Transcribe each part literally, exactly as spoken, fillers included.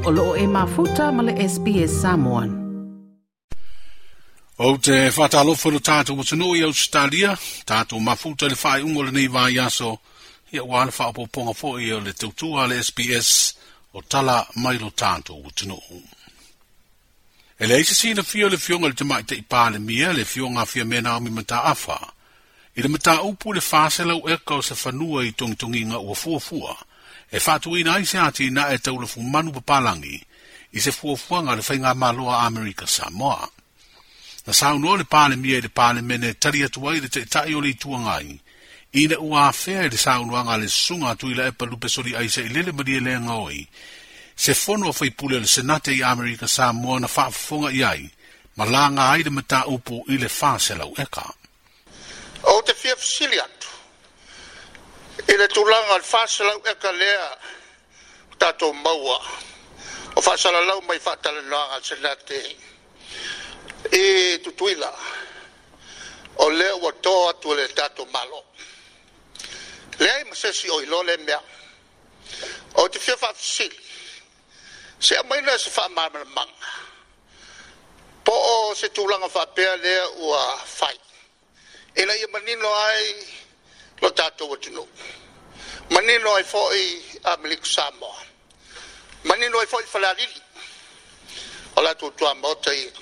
O loo e mafuta ma le S B S Samoan. O te whātalofa lo tātou atunuu i Australia, tātou mafuta le whaeungo le nei vai aso, ia ua le whaopoponga foi o le tautua le S B S o tala mai lo tātou atunuu. E le aisa sina fio le fionga le tamai te i mia le fionga fia mena o mi mataafa. I le mataupu le whāselau eka o se whanua i tongitonginga ua fuafua, e whaatuina ai se ati na e taulafu manu papalangi, i se fuafuanga le whainga maloa Amerika Samoa. Na saunoa le Palemia i le Palemene tali atu ai le taitai o le ituangai, ina ua afea i le saunoaga le susuga atu i la epa lupesoli ai se ilele malie le gaoi, se fono a faipule o le Senate i Amerika Samoa na faafofoga i ai, ma laga ai le mataupu i le faselau eka. O te fia fesili atu i le tulaga o le faselau eka lea o tatou maua o faasalalau mai faatalanoaga a le Senate i Tutuila, o lea ua to atu le tatou Malo. Leai ma se isi o iloa le mea. O te fia faafesili, se aumaina se faamalamalamaga, po o se tulaga faapea lea ua fai, ina ia manino ai lo tatou atunuu, manino ai foi Amerika Samoa, manino ai foi Falealili, o latou tuamaota ia.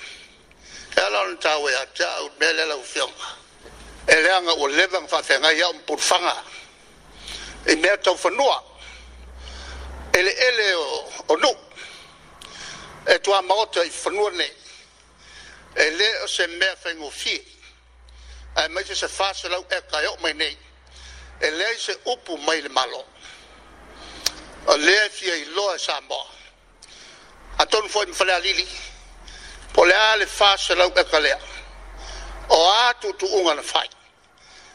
E ala ona taua ia te au mea lea lau afioga, e leaga ua leva ona faafeagai au ma pulufaga i mea tau fanua, eleele o, o nuu, e tuamaota i fanua nei, e le o se mea faigofie, ae maise se faselau eka e oo mai nei, e leai se upu mai le Malo. O lea e fia iloa e Samoa, atonu foi ma Falealili, po le a le faselau eka lea, o a tuutuuga na fai.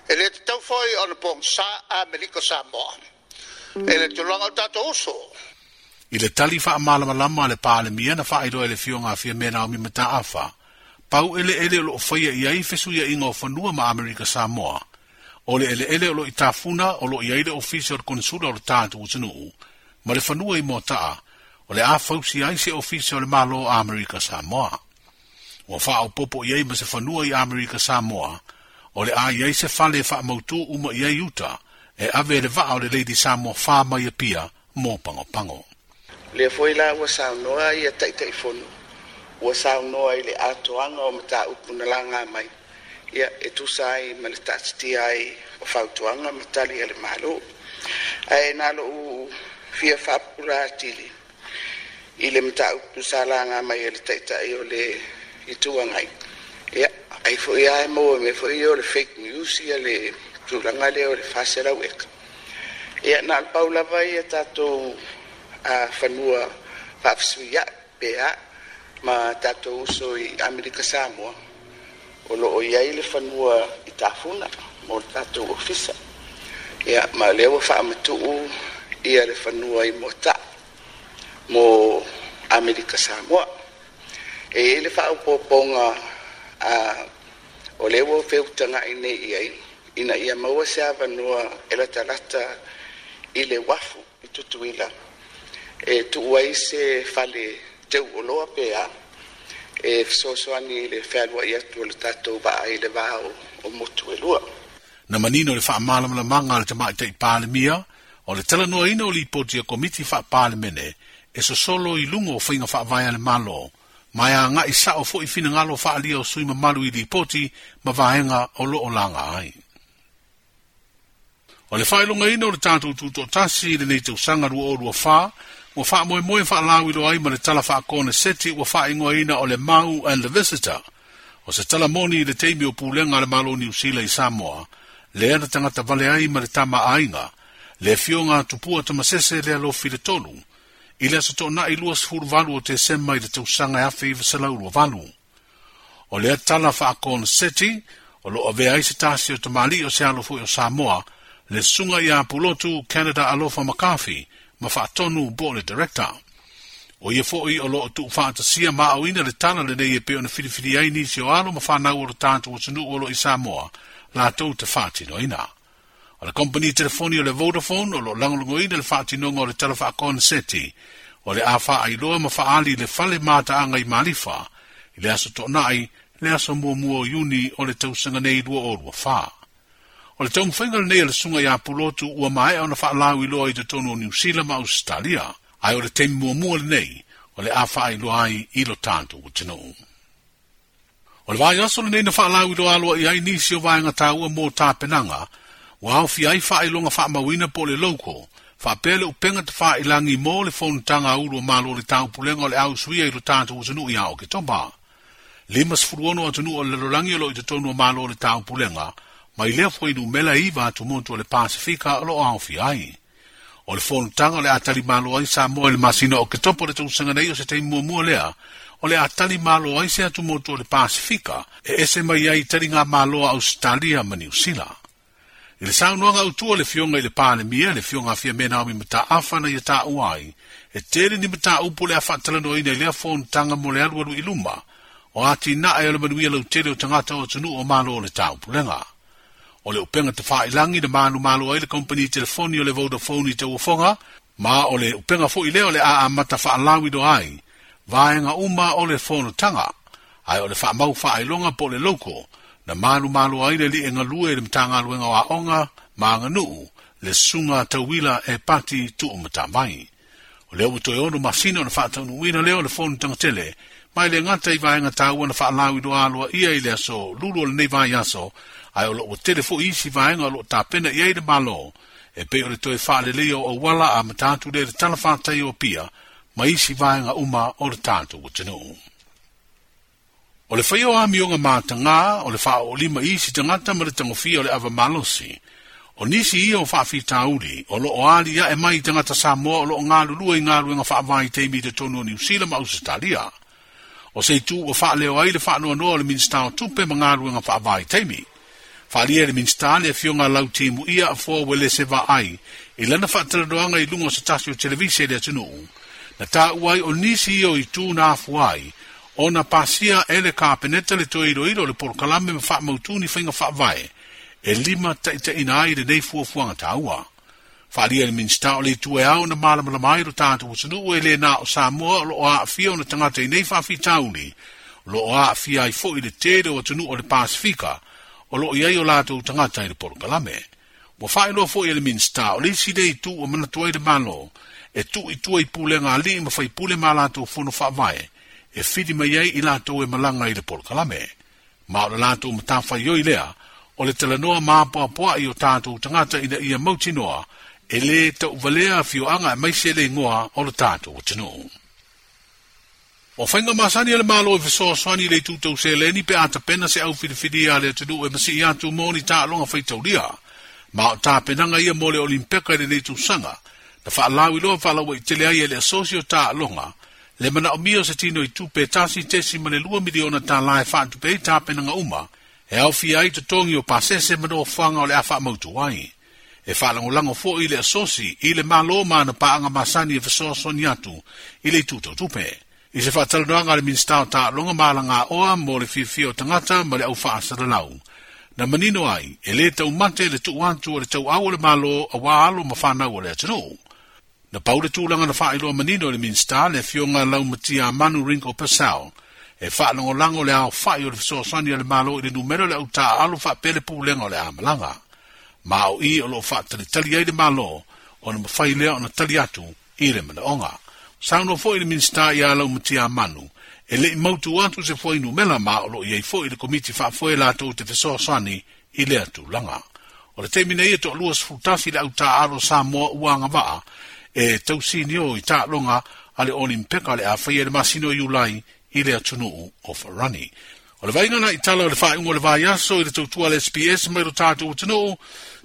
E le tatau foi ona pogisa Amerika Samoa, e le tulaga o tatou uso. I le tali faamalamalama a le Palemia na faailoa e le fioga a Fiamē Naomi Mataafa, pau eleele o loo faia i ai fesuiaiga o fanua ma Amerika Samoa, o le eleele o loo i tafuna o loo i ai le ofisa o le konsula o le tatou atunuu, ma le fanua i Moataa, o le a fausi ai se ofisa o le Malo a Amerika Samoa. Ua faaopopo i ai ma se fanua i Amerika Samoa, o le a i ai se fale e faamautu uma i ai uta, e ave le vaa o le Lady Samoa wha mai apia mō pangopango. Lea foi la ua saunoa ia Taitaifono, ua saunoa i le atoaga o mataupu na laga mai, ia e tusa ai ma le taatitia ai o fautuaga ma tali a le Malo. Ae na lou fia faapupula atili i le mataupu sa laga mai e le taitai o le ituangai. Ia, ai foi lava e maua mea foi o le fake news ia le tulaga lea o le faselau eka. Ia, na o le pau lava ia tatou a fanua faafesuiai pe a ma tatou uso i Amerika Samoa, o loo i ai le fanua i tafuna mo le tatou ofisa. Ia, ma lea ua faamatuu ia le fanua i Moataa mo Amerika Samoa. E i ai le faaopoopoga a o lea ua feutagai nei i ai, ina ia maua se avanoa e latalata i le uafu i Tutuila, e tuu ai se fale teu oloa pe a, e fesoasoani i le fealuai atu o le tatou vaa i le va o, o motu e lua. Na manino le faamalamalamaga a le tamaitai Palemia, o le talanoaina o lipoti a komiti faapalemene, e sosolo i luga o faiga faavae a le Malo, ma e agai sao foi finagalo faaalia o sui mamalu i lipoti ma vaega o loo laga ai. O le faailogaina o le tatou tutoatasi i lenei tausaga lua o lua fa, ua faamoemoe faalauilo ai ma le tala faakoneseti ua faaigoaina o le Mau and the Visitor, o se tala moni i le taimi o pulega a le Malo Niu Sila i Samoa, lea na tagata vale ai ma le tama aiga, le fioga a Tupua Tamasese lea lofi le tolu, i le aso toonai lua sefulu valu o Tesema i le tausaga e afe iva selau lua valu. O lea tala faakoneseti, o loo avea ai se tasi o tamalii o se alo foi o Samoa, le susuga ia Pulotu Canada Alofa McCarthy, ma faatonu po o le director. O ia foi o loo tuufaatasia ma aoina le tala lenei e pei ona filifili ai nisi o alo ma fanau o le tatou atunuu o loo i Samoa, latou te faatinoina. O le kompani telefoni o le Vodafone o loo lagolagoina le faatinoga o le tala faakoneseti, O le a faailoa ma faali le fale mataaga i Malifa i le aso Toonai le aso muamua o Iuni o le tausaga nei lua o lua fa. O le taumafaiga lenei a le susuga ia Pulotu ua maea ona faalauiloa i totonu o Niu Sila ma Ausetalia, ae o le taimi muamua lenei o le a faailoa ai i lo tatou atunuu. O le vaiaso lenei na faalauiloa aloaia ai nisi o vaega taua mo tapenaga, ua aofia ai faailoga faamauina po o le logo, faapea le upega tafailagi mo le fonotaga a ulu o Malo o le Taupulega o le ausuia i lo tatou atunuu ia Oketopa. Lima sefulu ono atunuu o le lalolagi o lo o i totonu o Malo o le Taupulega, mai lea fuainumera iva atumotu o le Pasifika o lo o aofia ai. O le fonotaga o le a talimalo ai Samoa i le masina o Oketopa o le tausaga nei o se taimi muamua lea, o le a talimalo ai se atumotu o le Pasifika e ese mai ai taliga malo a Ausetalia ma Niu Sila. I le saunoaga autua le fioga i le Palemia, le fioga a Fiamē Naomi Mataafa na ia taua ai, e tele ni mataupu le a faatalanoaina i lea fonotaga mo le alualu i luma, o atinae o le manuia lautele o tagata o atunuu o Malo o le Taupulega. O le upega tafailagi na manumalo ai le kompani telefoni o le Vodafone i tauofoga, ma o le upega foi lea o le a amata faalauiloa ai, vaega uma o le fonotaga, ae o le faamau faailoga po o le logo, na manumalo ai le alii e galue i le Matagaluega o Aoga ma Aganuu, le susuga tauila e pati tuumatavai. O lea ua toe ono masina ona faataunuuina lea o le fonotaga tele, mai le gata i vaega taua na faalauiloa aloaia i le aso lulu o lenei vaiaso, ae o loo ua tele foi isi vaega o loo tapena i ai le Malo, e pei o le toe faaleleia o auala a matatu lea le talafatai o Apia, ma isi vaega uma o le tatou atunuu. O le faia o amioga matagā, o le faaoolima i isi tagata ma le tagofia o le ava malosi. O nisi ia o faafitauli, o loo ali ae mai tagata Samoa o loo galulue i galuega faavaitaimi i totonu o Niu Sila ma Ausetalia. O se itu ua faaleo ai le faanoanoa o le Minisita o Tupe ma galuega faavaitaimi. Faalia le Minisita le afioga Lautimu ia afoa Uelese Vaai i lana faatalanoaga i luga o se tasi o televise i le atunuu. Na taua ai o nisi ia o itu na afua ai, ona pasia e le Kapeneta le toe iloilo o le polokalame ma faamautu ni faiga faavae, e lima taitaiina ai lenei fuafuaga taua. Faalia le Minisita o le itu e ao na malamalama ai lo tatou atunuu e le na o Samoa o loo aafia ona tagata i nei faafitauli, o loo aafia ai foi le tele o atunuu o le Pasifika, o loo i ai o latou tagata i le polokalame. Ua faailoa foi e le Minisita o le isi lea itu ua manatu ai le Malo, e tuu i tua i pulega alii ma faipule ma latou fono faavae, e fili mai ai i latou e malaga i le polokalame. Ma o le latou matafaioi lea, o le talanoa mapoapoai o tatou tagata ina ia mautinoa, e le tauvalea afioaga aemaise le igoa o le tatou atunuu. O faiga masani a le Malo e fesoasoani i le itu tau seleni pe a tapena se au filifilia a le atunuu e masii atu mo ni taaloga faitaulia. Ma o tapenaga ia mo le Olimpeka i lenei tausaga, na faalauiloa faalauaitele ai e le asosi o taaloga, le manaomia o se tino i tupe tasi tesi ma le lua miliona tālā e faatupe ai tapenaga uma, e aofia ai totogi o pasese ma nofoaga o le a faamautu ai. E faalagolago foi le asosi i le Malo ma ana paaga masani e fesoasoani atu i le itu tau tupe. I se faatalanoaga a le Minisita o Taaloga ma Alagaoa mo le fiafia o tagata ma le au faasalalau, na manino ai e le taumate le tuu atu o le tauau o le Malo auā alo ma fanau o le atunuu. Na pau le tulaga na faailoa manino e le Minisita le afioga Laumatia Manu Ringo Purcell, e faalagolago le aofai o le fesoasoani a le Malo i le numera o le autaaalo faapea le pulega o le amalaga. Ma o i o loo faatalitali ai le Malo, ona mafai lea ona tali atu i le manaoga. Saunoa foi le Minisita ia Laumatia Manu, e lei mautu atu se fuainumera ma o loo i ai foi le komiti faafoe latou te fesoasoani i lea tulaga. O le taimi nei e toalua sefulutasi le autaaalo Samoa ua agavaa e tausinio i taaloga a le Olimpeka le a faia i le masina o Iulai i le atunuu o Farani. O le vaaiga na i tala o le faaiuga o le vaiaso i le tautua a le S B S mai lo tatou atunuu,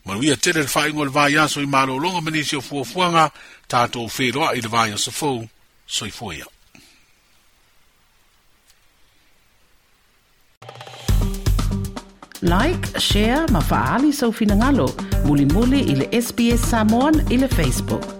manuia tele le faaiuga o le vaiaso i malologa ma nisi o fuafuaga, tatou feiloai i le vaiaso fou. Soifua ia. Like, share ma faali sau finagalo, mulimuli i le S B S Samoan i le Facebook.